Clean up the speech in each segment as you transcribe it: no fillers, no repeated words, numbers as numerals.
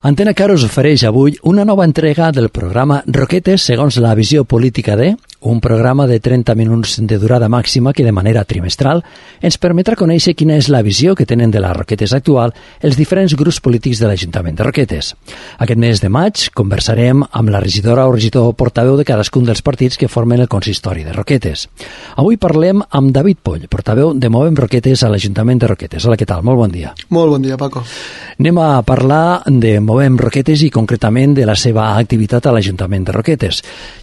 Antena Caro us ofereix avui una nova entrega del programa Roquetes segons la visió política de, un programa de 30 minuts de durada màxima que de manera trimestral ens permetrà conèixer quina és la visió que tenen de la Roquetes actual els diferents grups polítics de l'Ajuntament de Roquetes. Aquest mes de maig conversarem amb la regidora o regidor portaveu de cadascun dels partits que formen el consistori de Roquetes. Avui parlem amb David Poll, portaveu de Movem Roquetes a l'Ajuntament de Roquetes. Hola, què tal? Molt bon dia. Molt bon dia, Paco. Anem a parlar de Movem Roquetes i concretament de la seva activitat a l'Ajuntament de Roquetes.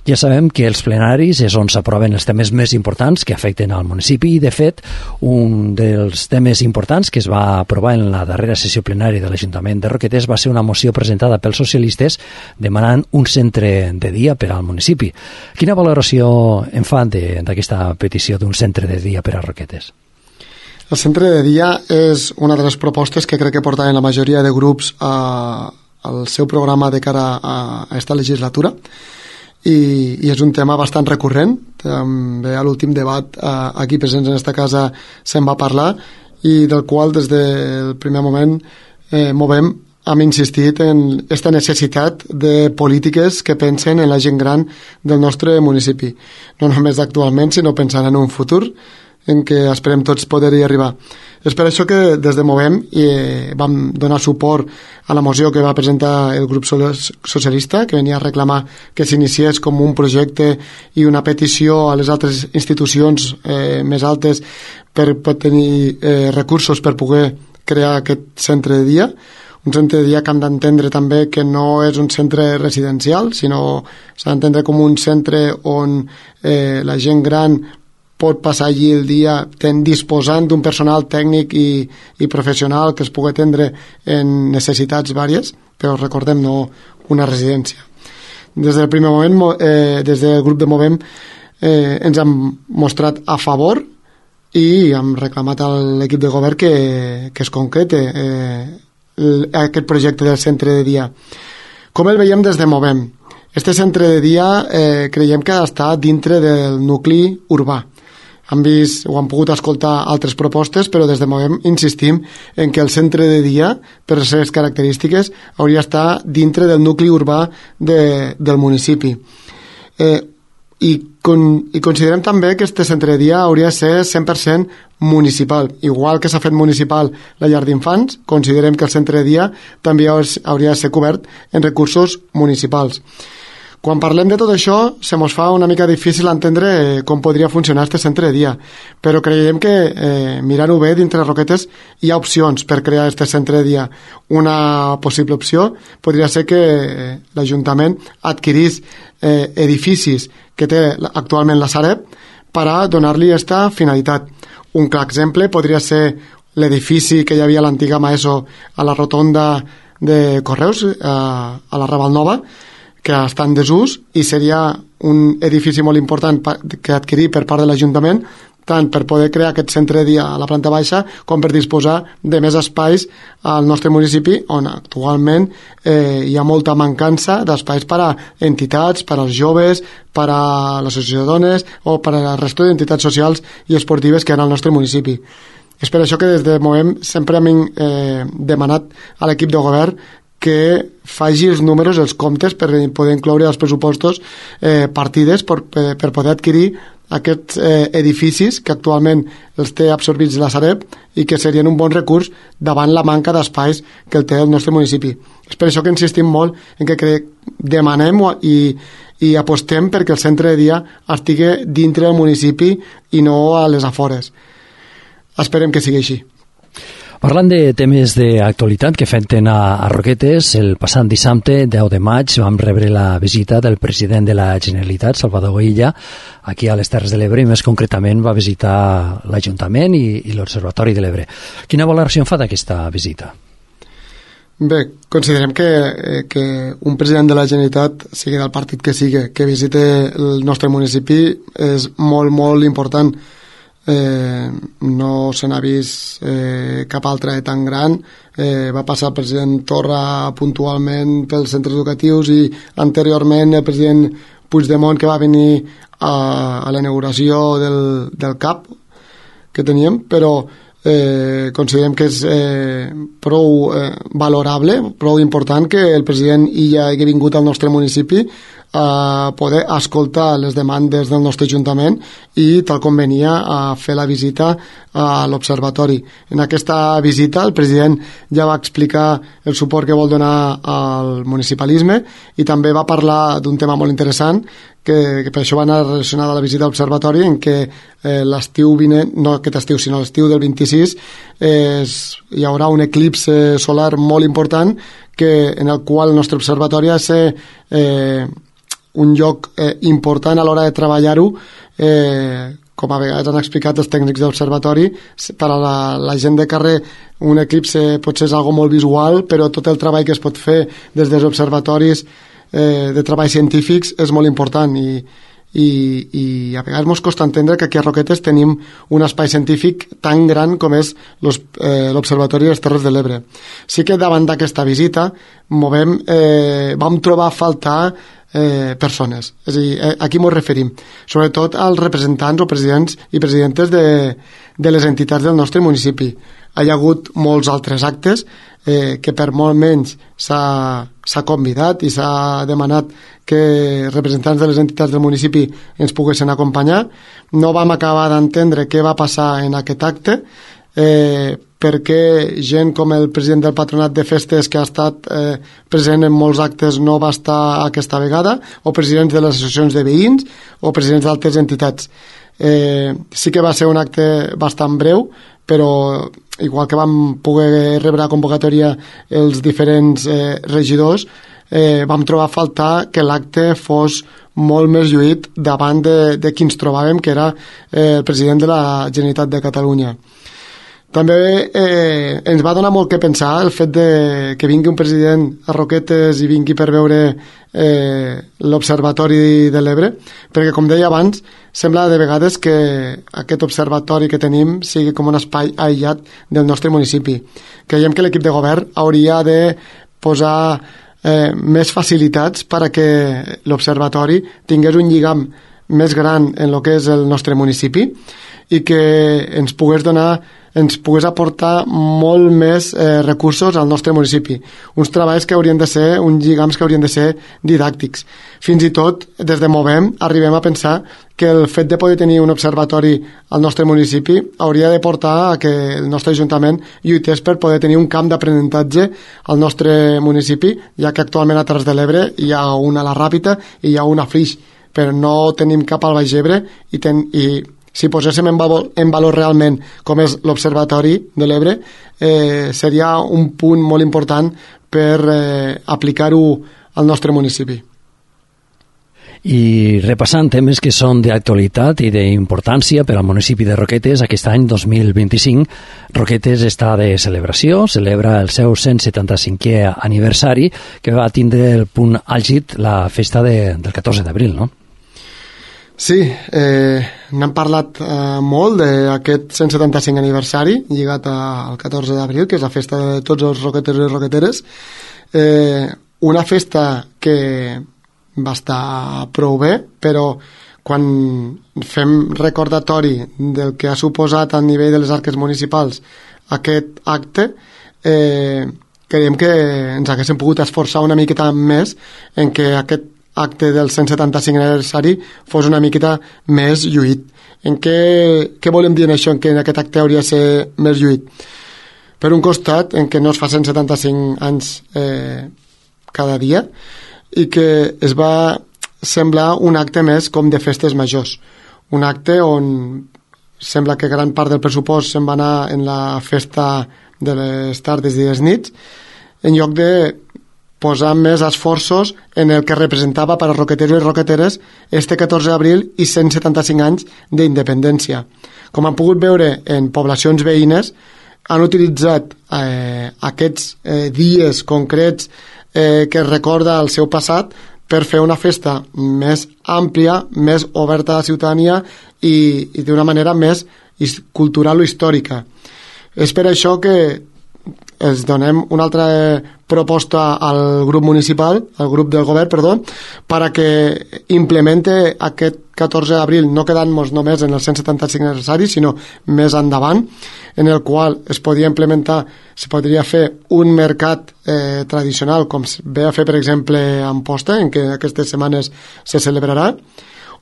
Ja sabem que els plenaris és on s'aproven els temes més importants que afecten al municipi i, de fet, un dels temes importants que es va aprovar en la darrera sessió plenària de l'Ajuntament de Roquetes va ser una moció presentada pels socialistes demanant un centre de dia per al municipi. Quina valoració en fan d'aquesta petició d'un centre de dia per a Roquetes? El centre de dia és una de les propostes que crec que portaven la majoria de grups al seu programa de cara a esta legislatura i és un tema bastant recurrent. També a l'últim debat aquí presents en esta casa se'n va parlar i del qual des del primer moment Movem hem insistit en aquesta necessitat de polítiques que pensen en la gent gran del nostre municipi, no només actualment sinó pensant en un futur en què esperem tots poder-hi arribar. És per això que des de Movem vam donar suport a la moció que va presentar el grup socialista, que venia a reclamar que s'iniciés com un projecte i una petició a les altres institucions més altes per tenir recursos per poder crear aquest centre de dia. Un centre de dia que hem d'entendre també que no és un centre residencial, sinó s'ha d'entendre com un centre on la gent gran pot passar allí el dia disposant d'un personal tècnic i professional que es pugui atendre en necessitats vàries, però recordem, no una residència. Des del primer moment, des del grup de Movem, ens hem mostrat a favor i hem reclamat a l'equip de govern que es concrete aquest projecte del centre de dia. Com el veiem des de Movem? Este centre de dia creiem que ha d'estar dintre del nucli urbà. Hem vist o hem pogut escoltar altres propostes, però des de Movem insistim en que el centre de dia, per les seves característiques, hauria d'estar dintre del nucli urbà del municipi. I considerem també que aquest centre de dia hauria de ser 100% municipal. Igual que s'ha fet municipal la llar d'infants, considerem que el centre de dia també hauria de ser cobert en recursos municipals. Quan parlem de tot això, se mos fa una mica difícil entendre com podria funcionar aquest centre de dia, però creiem que mirant-ho bé dintre Roquetes hi ha opcions per crear aquest centre de dia. Una possible opció podria ser que l'Ajuntament adquirís edificis que té actualment la Sareb per a donar-li aquesta finalitat. Un clar exemple podria ser l'edifici que hi havia a l'antiga Maeso a la rotonda de Correus, a la Raval Nova, que està en desús i seria un edifici molt important que adquirir per part de l'Ajuntament, tant per poder crear aquest centre de dia a la planta baixa com per disposar de més espais al nostre municipi, on actualment hi ha molta mancança d'espais per a entitats, per als joves, per a l'associació de dones o per a la resta d'entitats socials i esportives que hi ha al nostre municipi. És per això que des de Movem sempre hem demanat a l'equip de govern que faci els números, els comptes, per poder incloure als pressupostos partides per poder adquirir aquests edificis que actualment els té absorbits la Sareb i que serien un bon recurs davant la manca d'espais que el té el nostre municipi. És per això que insistim molt en que demanem i apostem perquè el centre de dia estigui dintre del municipi i no a les afores. Esperem que sigui així. Parlant de temes d'actualitat que afecten a Roquetes, el passat dissabte, 10 de maig, vam rebre la visita del president de la Generalitat, Salvador Illa, aquí a les Terres de l'Ebre, i més concretament va visitar l'Ajuntament i l'Observatori de l'Ebre. Quina valoració en fa d'aquesta visita? Bé, considerem que un president de la Generalitat, sigui del partit que sigui, que visite el nostre municipi és molt, molt important. No se n'ha vist cap altre tan gran. Va passar el president Torra puntualment pels centres educatius i anteriorment el president Puigdemont, que va venir a la inauguració del CAP que teníem, però considerem que és prou valorable, prou important que el president Illa hagi vingut al nostre municipi a poder escoltar les demandes del nostre Ajuntament i, tal com venia, a fer la visita a l'Observatori. En aquesta visita el president ja va explicar el suport que vol donar al municipalisme i també va parlar d'un tema molt interessant que per això va anar relacionada a la visita a l'Observatori, en què l'estiu vinent, no aquest estiu sinó l'estiu del 26, hi haurà un eclipse solar molt important en el qual el nostre observatori ha de ser un lloc important a l'hora de treballar-ho, com a vegades han explicat els tècnics de l'observatori. Per a la gent de carrer un eclipse potser és algo molt visual, però tot el treball que es pot fer des dels observatoris de treballs científics és molt important i a vegades ens costa entendre que aquí a Roquetes tenim un espai científic tan gran com és l'Observatori de les Terres de l'Ebre. Sí que davant d'aquesta visita vam trobar a faltar persones, és a dir, a qui ens referim? Sobretot als representants o presidents i presidentes de les entitats del nostre municipi. Hi ha hagut molts altres actes que per molt menys s'ha convidat i s'ha demanat que representants de les entitats del municipi ens poguessin acompanyar. No vam acabar d'entendre què va passar en aquest acte, perquè gent com el president del Patronat de Festes, que ha estat present en molts actes, no va estar aquesta vegada, o presidents de les associacions de veïns o presidents d'altres entitats. Sí que va ser un acte bastant breu, però igual que vam poder rebre a convocatòria els diferents regidors, vam trobar a faltar que l'acte fos molt més lluït davant de qui ens trobàvem, que era el president de la Generalitat de Catalunya. També ens va donar molt que pensar el fet que vingui un president a Roquetes i vingui per veure l'Observatori de l'Ebre, perquè, com deia abans, sembla de vegades que aquest observatori que tenim sigui com un espai aïllat del nostre municipi. Creiem que l'equip de govern hauria de posar més facilitats perquè l'Observatori tingués un lligam més gran en el que és el nostre municipi i que ens pogués aportar molt més recursos al nostre municipi. Uns treballs que haurien de ser, uns lligams que haurien de ser didàctics. Fins i tot, des de Movem, arribem a pensar que el fet de poder tenir un observatori al nostre municipi hauria de portar a que el nostre Ajuntament lluités per poder tenir un camp d'aprenentatge al nostre municipi, ja que actualment a Terres de l'Ebre hi ha una a la Ràpita i hi ha una a Flix, però no tenim cap al Baix Ebre i si poséssim en valor realment com és l'Observatori de l'Ebre, seria un punt molt important per aplicar-ho al nostre municipi. I repassant temes que són d'actualitat i d'importància per al municipi de Roquetes, aquest any 2025, Roquetes està de celebració, celebra el seu 175è aniversari, que va tindre el punt àlgid la festa del 14 d'abril, no? Sí, n'hem parlat molt d'aquest 175 aniversari lligat al 14 d'abril, que és la festa de tots els roqueteros i roqueteres. Una festa que va estar prou bé, però quan fem recordatori del que ha suposat a nivell de les arques municipals aquest acte, creiem que ens haguéssim pogut esforçar una miqueta més en que aquest acte del 175 aniversari fos una miqueta més lluït. Què volem dir en això, en què en aquest acte hauria de ser més lluït? Per un costat, en què no es fa 175 anys cada dia i que es va semblar un acte més com de festes majors. Un acte on sembla que gran part del pressupost se'n va anar en la festa de les tardes i les nits, en lloc de posar més esforços en el que representava per a roqueteros i roqueteres este 14 d'abril i 175 anys d'independència. Com han pogut veure en poblacions veïnes, han utilitzat aquests dies concrets que recorda el seu passat per fer una festa més àmplia, més oberta a la ciutadania i d'una manera més cultural o històrica. És per això que els donem una altra proposta al grup municipal, al grup del govern, perdó, para que implemente aquest 14 d'abril, no quedant-nos només en el 175 aniversari, sinó més endavant, en el qual es podria fer un mercat tradicional, com ve a fer, per exemple, a Amposta, en què aquestes setmanes se celebrarà,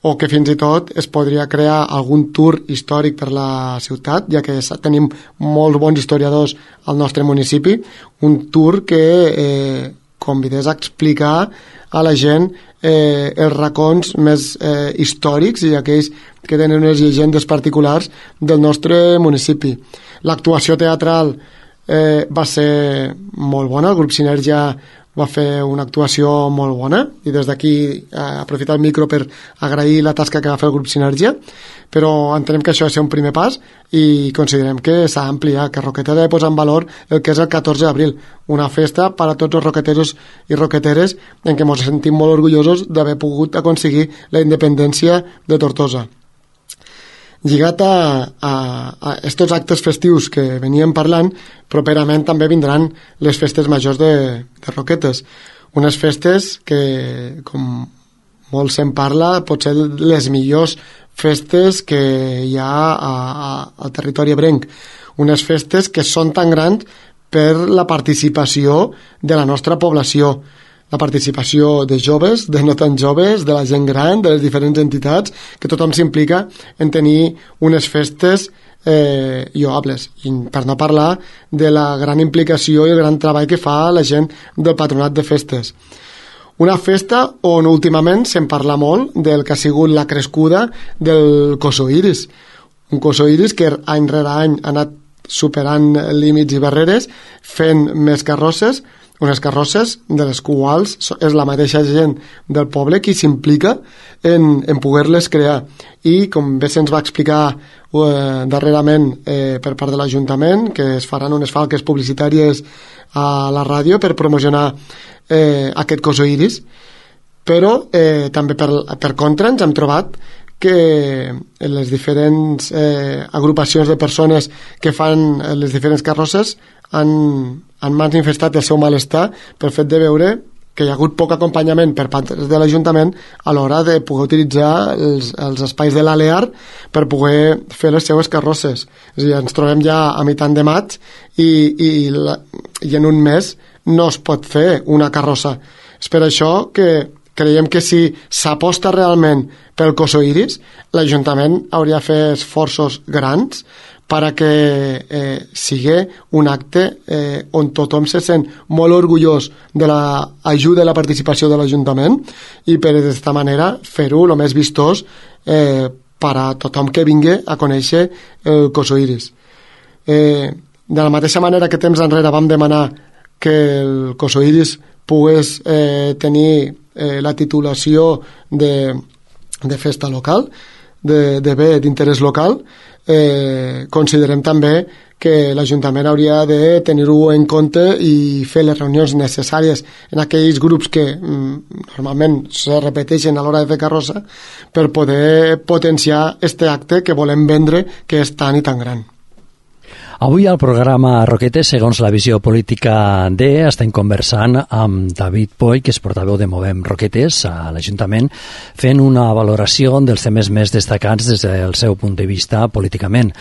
o que fins i tot es podria crear algun tour històric per la ciutat, ja que tenim molts bons historiadors al nostre municipi, un tour que convidés a explicar a la gent els racons més històrics i aquells que tenen unes llegendes particulars del nostre municipi. L'actuació teatral va ser molt bona, el grup Sinergia va fer una actuació molt bona i des d'aquí aprofitar el micro per agrair la tasca que va fer el grup Sinergia, però entenem que això ha de ser un primer pas i considerem que s'ha d'ampliar, que Roquetes ha de posar en valor el que és el 14 d'abril, una festa per a tots els roqueteros i roqueteres en què ens sentim molt orgullosos d'haver pogut aconseguir la independència de Tortosa. Lligat a aquests actes festius que veníem parlant, properament també vindran les festes majors de Roquetes. Unes festes que, com molt se'n parla, pot ser les millors festes que hi ha al territori ebrenc. Unes festes que són tan grans per la participació de la nostra població, la participació de joves, de no tan joves, de la gent gran, de les diferents entitats, que tothom s'implica en tenir unes festes lloables, i per no parlar de la gran implicació i el gran treball que fa la gent del patronat de festes. Una festa on últimament se'n parla molt del que ha sigut la crescuda del Cosoiris, un Cosoiris que any rere any ha anat superant límits i barreres, fent més carrosses, unes carrosses de les quals és la mateixa gent del poble qui s'implica en poder-les crear. I, com bé se'ns va explicar darrerament per part de l'Ajuntament, que es faran unes falques publicitàries a la ràdio per promocionar aquest Cosoiris, però també per contra ens hem trobat que les diferents agrupacions de persones que fan les diferents carrosses han manifestat el seu malestar pel fet de veure que hi ha hagut poc acompanyament per part de l'Ajuntament a l'hora de poder utilitzar els espais de l'Alear per poder fer les seues carrosses. És a dir, ens trobem ja a mitjan de maig i en un mes no es pot fer una carrossa. És per això que creiem que si s'aposta realment pel Cosoiris, l'Ajuntament hauria de fer esforços grans perquè sigui un acte on tothom se sent molt orgullós de l'ajuda i la participació de l'Ajuntament i per d'aquesta manera fer-ho el més vistós per a tothom que vingui a conèixer el Cosoiris. De la mateixa manera que temps enrere vam demanar que el Cosoiris pogués tenir la titulació de festa local, de bé d'interès local, considerem també que l'Ajuntament hauria de tenir-ho en compte i fer les reunions necessàries en aquells grups que normalment se repeteixen a l'hora de fer carrossa per poder potenciar este acte que volem vendre, que és tan i tan gran. Avui al programa Roquetes, segons la visió política D, estem conversant amb David Poy, que és portaveu de Movem Roquetes a l'Ajuntament, fent una valoració dels temes més destacats des del seu punt de vista políticament.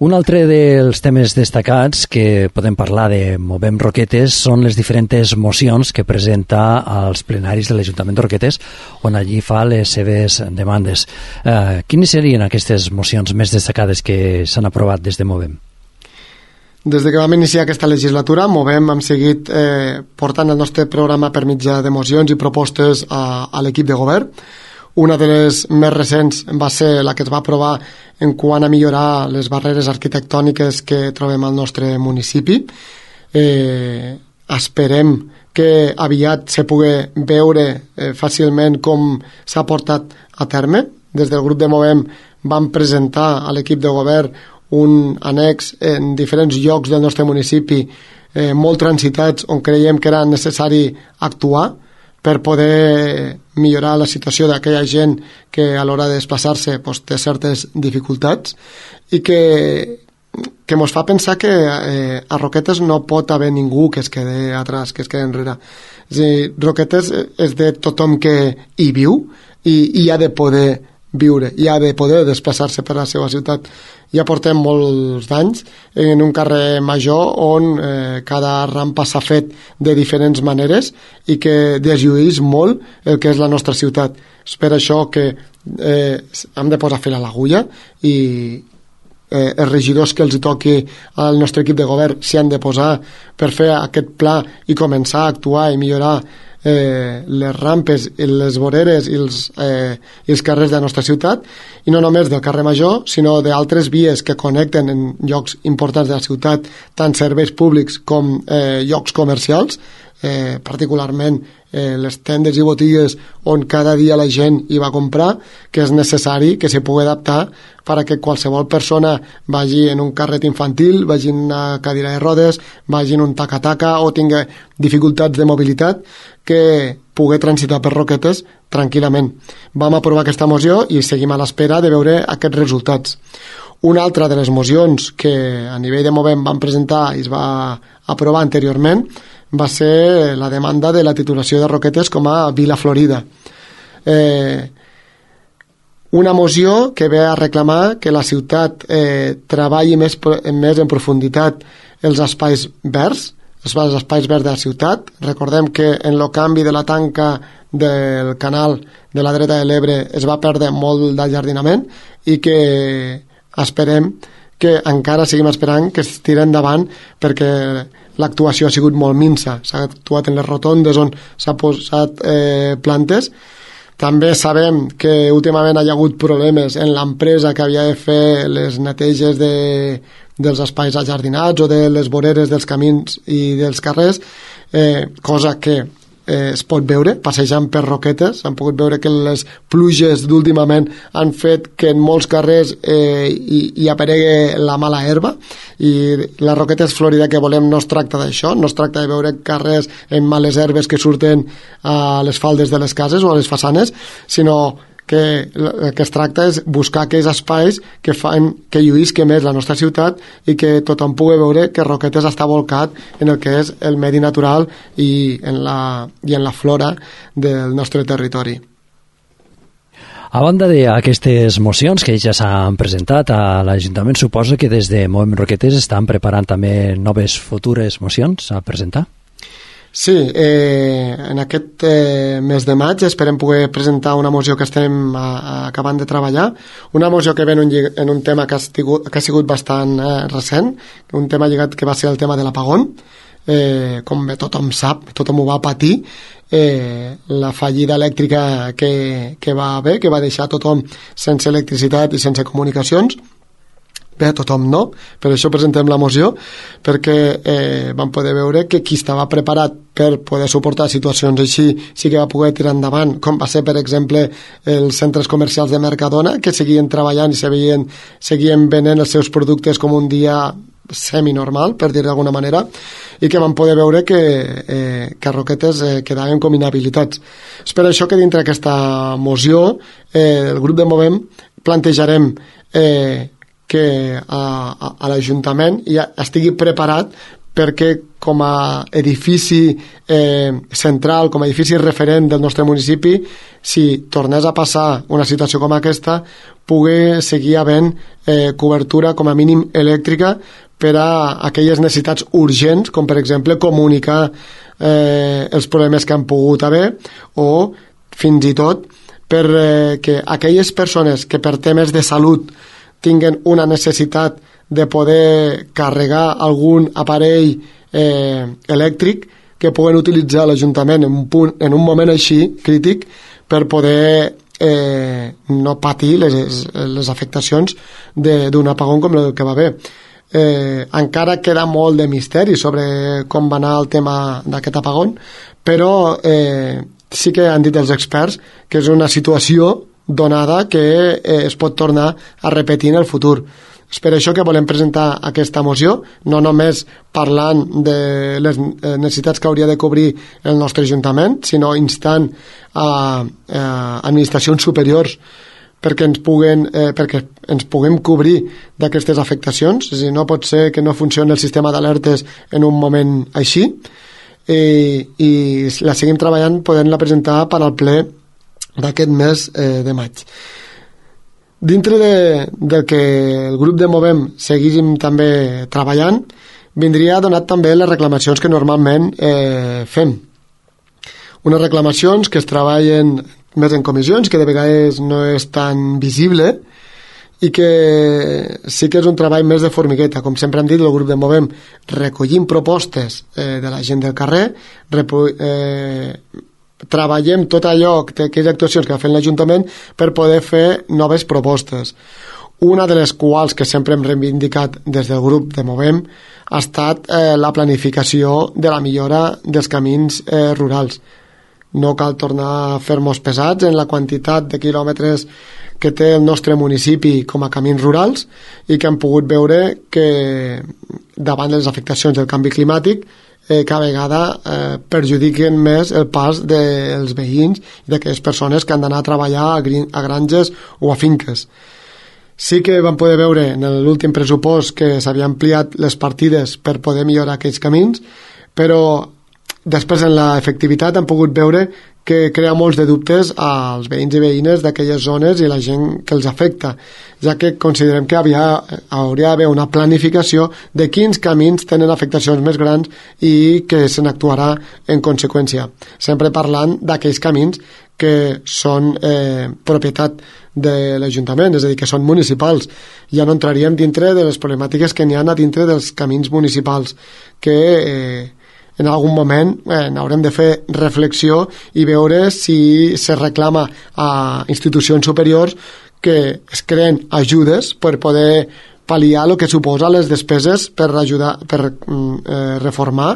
Un altre dels temes destacats que podem parlar de Movem Roquetes són les diferents mocions que presenta als plenaris de l'Ajuntament de Roquetes, on allí fa les seves demandes. Quines serien aquestes mocions més destacades que s'han aprovat des de Movem? Des que vam iniciar aquesta legislatura, Movem hem seguit portant el nostre programa per mitjà de mocions i propostes a l'equip de govern. Una de les més recents va ser la que es va aprovar en quant a millorar les barreres arquitectòniques que trobem al nostre municipi. Esperem que aviat se pugui veure fàcilment com s'ha portat a terme. Des del grup de Movem vam presentar a l'equip de govern un annex en diferents llocs del nostre municipi molt transitats on creiem que era necessari actuar per poder millorar la situació d'aquella gent que a l'hora de desplaçar-se té certes dificultats i que que ens fa pensar que a Roquetes no pot haver ningú que es quede atrás, que es quede enrere. És a dir, Roquetes és de tothom que hi viu i ha de poder viure, i ha de poder desplaçar-se per la seva ciutat. Ja portem molts d'anys en un carrer major on cada rampa s'ha fet de diferents maneres i que deslluís molt el que és la nostra ciutat. És per això que hem de posar fil a l'agulla i els regidors que els toqui al nostre equip de govern s'hi han de posar per fer aquest pla i començar a actuar i millorar les rampes, les voreres i els carrers de la nostra ciutat, i no només del carrer Major, sinó d'altres vies que connecten en llocs importants de la ciutat tant serveis públics com llocs comercials, particularment les tendes i botigues on cada dia la gent hi va a comprar, que és necessari que s'hi pugui adaptar perquè qualsevol persona vagi en un carret infantil, vagi en una cadira de rodes, vagi en un taca-taca o tingui dificultats de mobilitat, que pugui transitar per Roquetes tranquil·lament. Vam aprovar aquesta moció i seguim a l'espera de veure aquests resultats. Una altra de les mocions que a nivell de Movem vam presentar i es va aprovar anteriorment va ser la demanda de la titulació de Roquetes com a Vila Florida. Una moció que ve a reclamar que la ciutat treballi més en profunditat els espais verds, els espais verds de la ciutat. Recordem que en el canvi de la tanca del canal de la dreta de l'Ebre es va perdre molt del jardinament i que esperem que encara seguim esperant que es tiri endavant perquè l'actuació ha sigut molt minsa. S'ha actuat en les rotondes on s'ha posat plantes. També sabem que últimament hi ha hagut problemes en l'empresa que havia de fer les neteges dels espais ajardinats o de les voreres dels camins i dels carrers, cosa que es pot veure passejant per Roquetes. Han pogut veure que les pluges d'últimament han fet que en molts carrers hi aparegui la mala herba, i la Roquetes Florida que volem no es tracta d'això, no es tracta de veure carrers amb males herbes que surten a les faldes de les cases o a les façanes, sinó que el que es tracta és buscar aquells espais que fan que lluïsque més la nostra ciutat i que tothom pugui veure que Roquetes està volcat en el que és el medi natural i en la flora del nostre territori. A banda d'aquestes mocions que ja s'han presentat a l'Ajuntament, suposo que des de Movem Roquetes estan preparant també noves futures mocions a presentar? Sí, en aquest mes de maig esperem poder presentar una moció que estem acabant de treballar, una moció que ve en un tema que ha sigut bastant recent, un tema lligat que va ser el tema de l'apagón. Com tothom sap, tothom ho va patir, la fallida elèctrica que va haver, que va deixar tothom sense electricitat i sense comunicacions. Bé, tothom no, per això presentem la moció, perquè vam poder veure que qui estava preparat per poder suportar situacions així sí que va poder tirar endavant, com va ser, per exemple, els centres comercials de Mercadona, que seguien treballant i seguien venent els seus productes com un dia semi-normal, per dir d'alguna manera, i que vam poder veure que a Roquetes quedaven com inhabilitats. És per això que dintre aquesta moció el grup de Movem plantejarem que a l'Ajuntament ja estigui preparat perquè com a edifici central, com a edifici referent del nostre municipi, si tornés a passar una situació com aquesta, pugui seguir havent cobertura com a mínim elèctrica per a aquelles necessitats urgents, com per exemple comunicar els problemes que han pogut haver, o fins i tot perquè aquelles persones que per temes de salut tinguen una necessitat de poder carregar algun aparell elèctric que puguen utilitzar l'Ajuntament en un moment així crític per poder no patir les afectacions d'un apagón com el que va haver. Encara queda molt de misteri sobre com va anar el tema d'aquest apagón, però sí que han dit els experts que és una situació donada que es pot tornar a repetir en el futur. És per això que volem presentar aquesta moció, no només parlant de les necessitats que hauria de cobrir el nostre Ajuntament, sinó instant a administracions superiors perquè ens puguem cobrir d'aquestes afectacions. És a dir, no pot ser que no funcioni el sistema d'alertes en un moment així, i la seguim treballant podent-la presentar per al ple d'aquest mes de maig. Dintre del que el grup de Movem seguíssim també treballant, vindria donat també les reclamacions que normalment fem. Unes reclamacions que es treballen més en comissions, que de vegades no és tan visible, i que sí que és un treball més de formigueta. Com sempre hem dit, el grup de Movem recollim propostes de la gent del carrer, treballem tot allò, aquelles actuacions que ha fet l'Ajuntament per poder fer noves propostes. Una de les quals que sempre hem reivindicat des del grup de Movem ha estat la planificació de la millora dels camins rurals. No cal tornar a fer-nos pesats en la quantitat de quilòmetres que té el nostre municipi com a camins rurals, i que hem pogut veure que davant de les afectacions del canvi climàtic cada vegada perjudiquen més el pas dels veïns i d'aquelles persones que han d'anar a treballar a granges o a finques. Sí que vam poder veure en l'últim pressupost que s'havia ampliat les partides per poder millorar aquells camins, però després en l'efectivitat hem pogut veure que crea molts de dubtes als veïns i veïnes d'aquelles zones i la gent que els afecta, ja que considerem que hauria d'haver una planificació de quins camins tenen afectacions més grans i que se n'actuarà en conseqüència. Sempre parlant d'aquells camins que són propietat de l'Ajuntament, és a dir, que són municipals. Ja no entraríem dintre de les problemàtiques que n'hi ha a dintre dels camins municipals, que en algun moment haurem de fer reflexió i veure si se reclama a institucions superiors que es creen ajudes per poder pal·liar el que suposa les despeses per ajudar, per reformar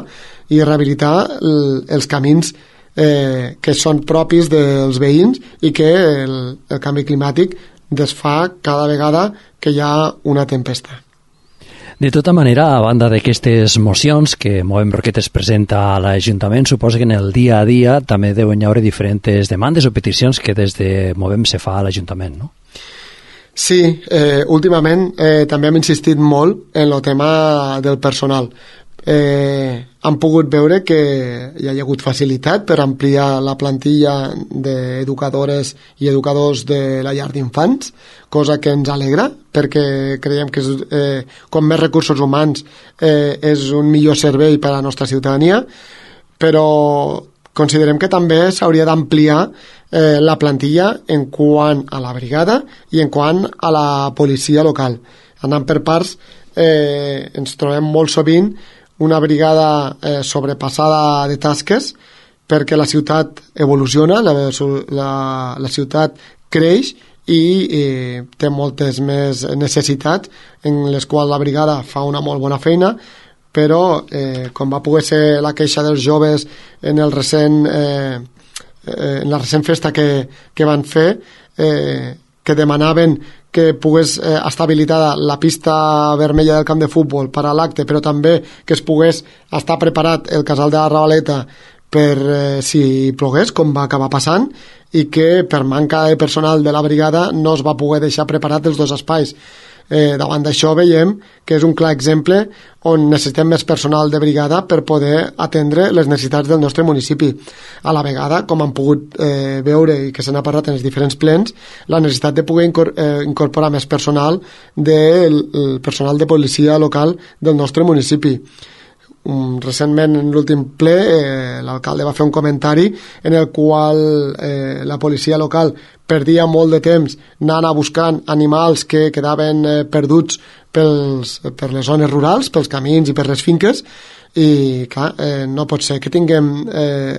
i rehabilitar els camins que són propis dels veïns i que el canvi climàtic desfà cada vegada que hi ha una tempesta. De tota manera, a banda d'aquestes mocions que Movem Roquetes presenta a l'Ajuntament, suposa que en el dia a dia també deuen haver diferents demandes o peticions que des de Movem se fa a l'Ajuntament, no? Sí, últimament també hem insistit molt en el tema del personal. Han pogut veure que hi ha hagut facilitat per ampliar la plantilla d'educadores i educadors de la llar d'infants, cosa que ens alegra, perquè creiem que com més recursos humans és un millor servei per a la nostra ciutadania, però considerem que també s'hauria d'ampliar la plantilla en quant a la brigada i en quant a la policia local. Anant per parts, ens trobem molt sovint una brigada sobrepassada de tasques, perquè la ciutat evoluciona, la ciutat creix i té moltes més necessitats, en les quals la brigada fa una molt bona feina, però com va poder ser la queixa dels joves en la recent festa que van fer, que demanaven que pogués estar habilitada la pista vermella del camp de futbol per a l'acte, però també que es pogués estar preparat el casal de la Ravaleta per si plogués, com va acabar passant, i que per manca de personal de la brigada no es va poder deixar preparat els dos espais. Davant d'això veiem que és un clar exemple on necessitem més personal de brigada per poder atendre les necessitats del nostre municipi. A la vegada, com han pogut veure i que se n'ha parlat en els diferents plens, la necessitat de poder incorporar més personal del personal de policia local del nostre municipi. Recentment, en l'últim ple, l'alcalde va fer un comentari en el qual la policia local perdia molt de temps anant a buscant animals que quedaven perduts per les zones rurals, pels camins i per les finques, i clar, no pot ser que tinguem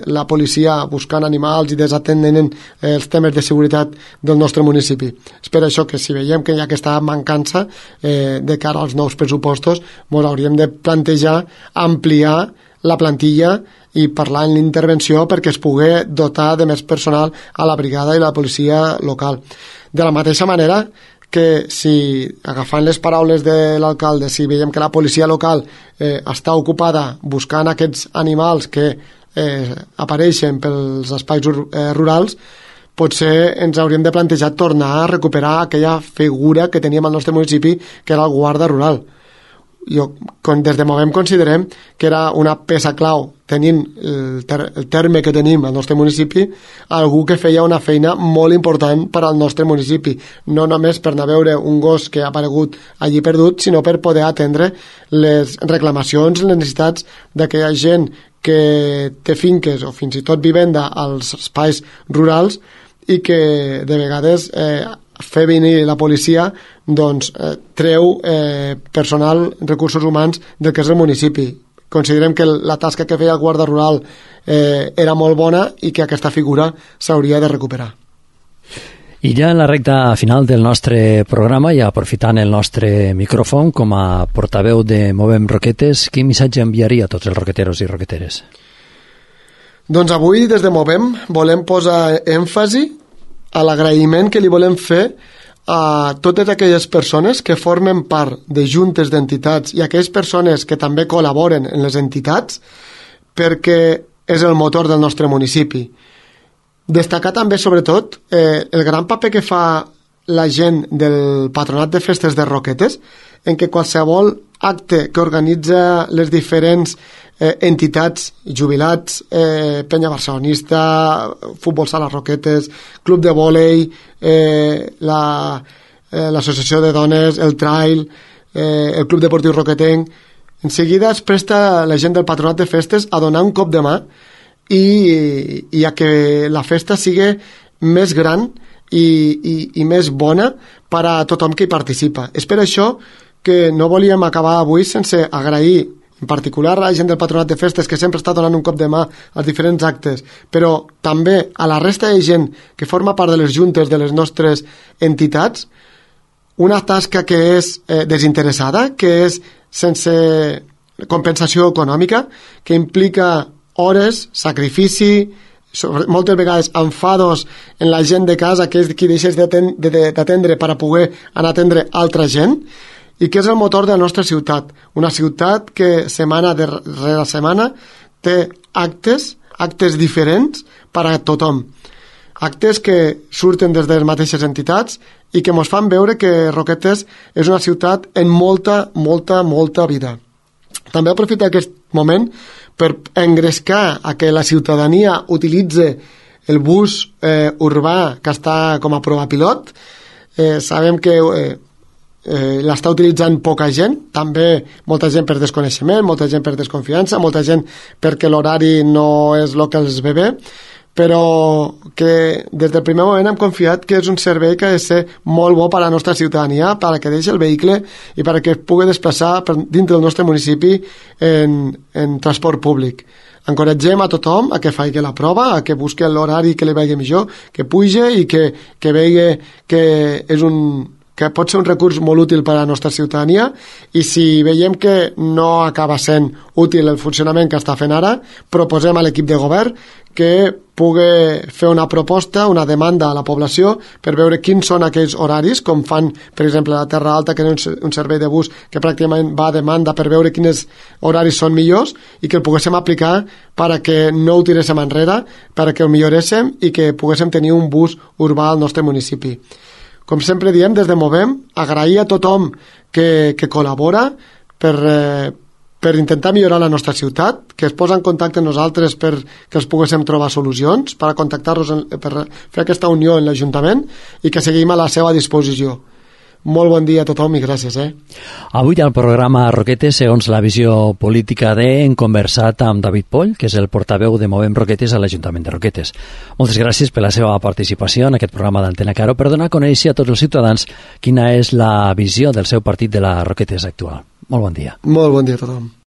la policia buscant animals i desatenent els temes de seguretat del nostre municipi. És per això que si veiem que hi ha aquesta mancança de cara als nous pressupostos, ens hauríem de plantejar ampliar la plantilla i parlar en l'intervenció perquè es pugui dotar de més personal a la brigada i la policia local. De la mateixa manera que si, agafant les paraules de l'alcalde, si veiem que la policia local està ocupada buscant aquests animals que apareixen pels espais rurals, potser ens hauríem de plantejar tornar a recuperar aquella figura que teníem al nostre municipi, que era el guarda rural. Des de Movem considerem que era una peça clau, tenint el terme que tenim al nostre municipi, algú que feia una feina molt important per al nostre municipi, no només per anar a veure un gos que ha aparegut allí perdut, sinó per poder atendre les reclamacions, les necessitats d'aquella gent que té finques o fins i tot vivenda als espais rurals i que de vegades fer venir la policia treu personal, recursos humans del que és el municipi. Considerem que la tasca que feia el guarda rural era molt bona i que aquesta figura s'hauria de recuperar. I ja en la recta final del nostre programa, i aprofitant el nostre micròfon com a portaveu de Movem Roquetes, quin missatge enviaria a tots els roqueteros i roqueteres? Doncs avui des de Movem volem posar èmfasi a l'agraïment que li volem fer a totes aquelles persones que formen part de juntes d'entitats i aquelles persones que també col·laboren en les entitats, perquè és el motor del nostre municipi. Destacar també, sobretot, el gran paper que fa la gent del Patronat de Festes de Roquetes, en què qualsevol acte que organitza les diferents entitats, jubilats, Penya Barcelonista, Futbol Sala Roquetes, Club de Vòlei, l'Associació de Dones, el Trail, el Club Deportiu Roquetenc, en seguida es presta la gent del Patronat de Festes a donar un cop de mà i a que la festa sigui més gran i més bona per a tothom que hi participa. És per això que no volíem acabar avui sense agrair en particular a la gent del Patronat de Festes, que sempre està donant un cop de mà als diferents actes, però també a la resta de gent que forma part de les juntes de les nostres entitats, una tasca que és desinteressada, que és sense compensació econòmica, que implica hores, sacrifici, moltes vegades enfados en la gent de casa, que és qui deixes d'atendre per a poder anar a atendre altra gent, i que és el motor de la nostra ciutat. Una ciutat que setmana darrere setmana té actes diferents per a tothom. Actes que surten des de les mateixes entitats i que ens fan veure que Roquetes és una ciutat en molta, molta, molta vida. També aprofito aquest moment per engrescar a que la ciutadania utilitze el bus urbà que està com a prova pilot. Sabem que l'està utilitzant poca gent, també molta gent per desconeixement, molta gent per desconfiança, molta gent perquè l'horari no és el que els ve bé, però que des del primer moment hem confiat que és un servei que ha de ser molt bo per a la nostra ciutadania, per a que deixi el vehicle i per a que es pugui desplaçar dintre del nostre municipi en transport públic. Encoratgem a tothom a que faci la prova, a que busqui l'horari que li vegi millor, que pugi i que vegi que pot ser un recurs molt útil per a la nostra ciutadania, i si veiem que no acaba sent útil el funcionament que està fent ara, proposem a l'equip de govern que pugui fer una proposta, una demanda a la població per veure quins són aquells horaris, com fan, per exemple, a la Terra Alta, que és un servei de bus que pràcticament va a demanda per veure quins horaris són millors i que el poguéssim aplicar per a que no ho tiréssim enrere, per a que ho milloréssim i que poguéssim tenir un bus urbà al nostre municipi. Com sempre diem, des de Movem, agrair a tothom que col·labora per intentar millorar la nostra ciutat, que es posa en contacte amb nosaltres per que els poguéssim trobar solucions, per a contactar-nos, per fer aquesta unió en l'Ajuntament i que seguim a la seva disposició. Molt bon dia a tothom i gràcies. Avui al programa Roquetes, segons la visió política hem conversat amb David Poll, que és el portaveu de Movem Roquetes a l'Ajuntament de Roquetes. Moltes gràcies per la seva participació en aquest programa d'Antena Caro per donar a conèixer a tots els ciutadans quina és la visió del seu partit de la Roquetes actual. Molt bon dia. Molt bon dia a tothom.